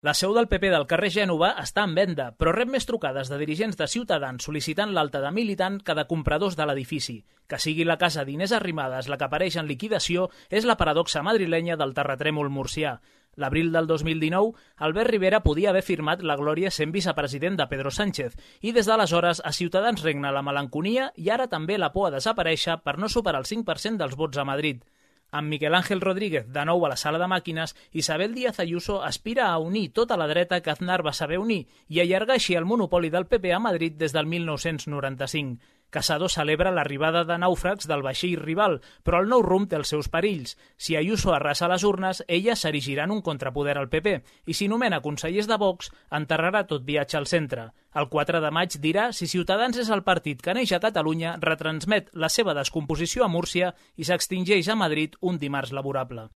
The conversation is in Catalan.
La seu del PP del carrer Gènova està en venda, però rep més trucades de dirigents de Ciutadans sol·licitant l'alta de militant que de compradors de l'edifici. Que sigui la casa d'Inés Arrimadas la que apareix en liquidació és la paradoxa madrilenya del terratrèmol murcià. L'abril del 2019, Albert Rivera podia haver firmat la glòria sent vicepresident de Pedro Sánchez i des d'aleshores a Ciutadans regna la melanconia i ara també la por a desaparèixer per no superar el 5% dels vots a Madrid. Amb Miguel Ángel Rodríguez de nou a la sala de màquines, Isabel Díaz Ayuso aspira a unir tota la dreta que Aznar va saber unir i allargar així el monopoli del PP a Madrid des del 1995. Casado celebra l'arribada de nàufrags del vaixell rival, però el nou rumb té els seus perills. Si Ayuso arrasa les urnes, ella s'erigirà en un contrapoder al PP i si nomena consellers de Vox, enterrarà tot viatge al centre. El 4 de maig dirà si Ciutadans és el partit que neix a Catalunya, retransmet la seva descomposició a Múrcia i s'extingeix a Madrid un dimarts laborable.